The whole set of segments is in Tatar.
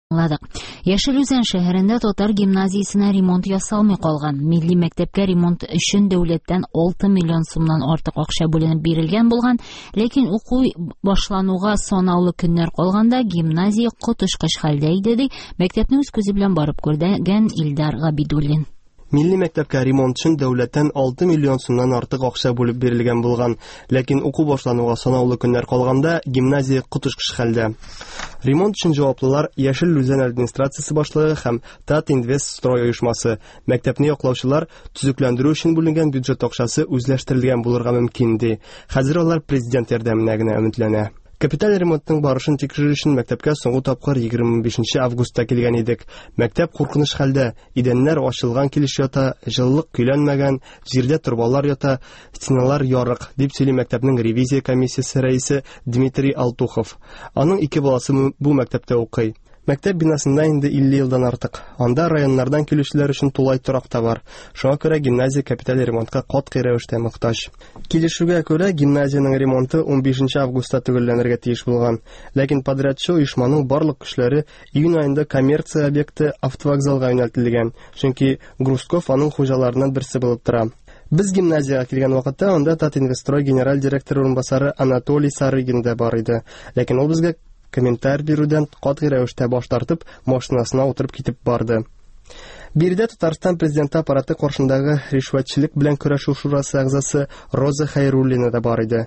Аңладык. Яшел Үзән шәһәрендә татар гимназиясенә ремонт ясалмый калган. Милли мәктәпкә ремонт өчен дәүләттән 6 миллион сумнан артык акча бүленеп бирелгән булган, ләкин уку башлануга санаулы көннәр калганда гимназия коточкыч хәлдә иде, ди мәктәпне үз күзе белән барып күргән Илдар Габидуллин. Милли мәктәпкә ремонт өчен дәүләттән 6 миллион сумнан артык акча бүлеп бирелгән булган. Ләкин уку башлануга санаулы көннәр калганда гимназия коточкыч хәлдә. Ремонт өчен җаваплылар Яшел Үзән администрациясе башлыгы һәм Татинвестстрой оешмасы. Мәктәпне яклаучылар төзекләндерү өчен бүленгән бюджет акчасы үзләштерелгән булырга мөмкин, ди. Хәзер алар президент ярдәменә генә өметләнә. Капиталь ремонтның барышын тикшерү өчен мәктәпкә соңгы тапкыр 25 августта килгән идек. Мәктәп куркыныч хәлдә, идәннәр ачылган килеш ята, җылылык көйләнмәгән, җирдә торбалар ята, стеналар ярык, дип сөйли мәктәпнең ревизия комиссиясе рәисе Дмитрий Алтухов. Аның ике баласы бу мәктәптә укый. Мәктәп бинасында инде 50 елдан артык. Анда районнардан килүчеләр өчен тулай торак та бар. Шуңа күрә гимназия капиталь ремонтка катгый рәвештә мохтаҗ. Килешүгә күрә, гимназиянең ремонты 15 августта төгәлләнергә тиеш булган. Ләкин подрядчы оешманың барлык көчләре июнь аенда коммерция объекты автовокзалга юнәлтелгән, чөнки Грузков аның хуҗаларыннан берсе булып тора. Без гимназиягә килгән вакытта анда Татинвестрой генераль директоры урынбасары Анатолий Сарыгин да бар иде. Ләкин ул безгә комментарий бирүдән катгый рәвештә баш тартып, машинасына утырып китеп барды. Биредә Татарстан президенты аппараты каршындагы ришвәтчелек белән көрәшү шурасы әгъзасы Роза Хәйруллина да бар иде.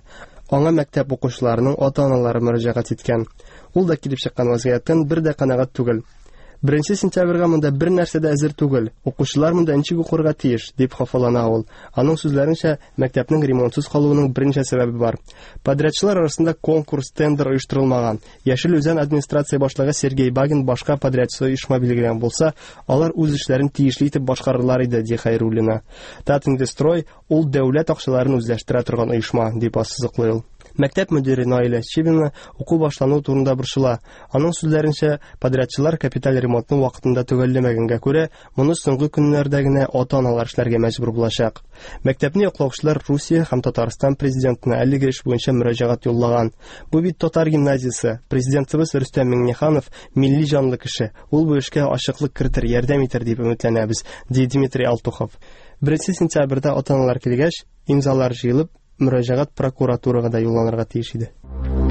Аңа мәктәп укучыларының ата-аналары мөрәҗәгать иткән. Ул да килеп чыккан вазгыятьтән бер дә канәгать түгел. Беренче сентябрьгә монда бер нәрсә дә әзер түгел. Укучылар монда ничек укырга тиеш, дип хафалана ул. Аның сүзләренчә, мәктәпнең ремонтсыз калуының берничә сәбәбе бар. Подрядчылар арасында конкурс, тендер оештырылмаган. Яшел Үзән администрация башлыгы Сергей Багин башка подрядчы оешма билгеләгән булса, алар үз эшләрен тиешле итеп башкарырлар иде, ди Хәйруллина. Татинвестрой ул дәүләт акчаларын үзләштерә торган оешма, дип ассызыклый ул. Мәктәп мөдире Наилә Чибина уку башлану турында борчыла. Аның сүзләренчә, подрядчылар капиталь ремонтны вакытында төгәлләмәгәнгә күрә, моны соңгы көннәрдә генә ата-аналар эшләргә мәҗбүр булачак. Мәктәпне яклаучылар Русия һәм Татарстан президентына әлеге эш буенча мөрәҗәгать юллаган. Бу бит татар гимназиясе. Президентыбыз Рөстәм Миңнеханов милли җанлы кеше. Ул бу эшкә ачыклык кертер, ярдәм итәр дип өметләнәбез, ди Дмитрий Алтухов. 1 сентябрьдә ата-аналар килгәч, имзалар җыелып, мөрәҗәгать прокуратурага да юлланырга тиеш иде.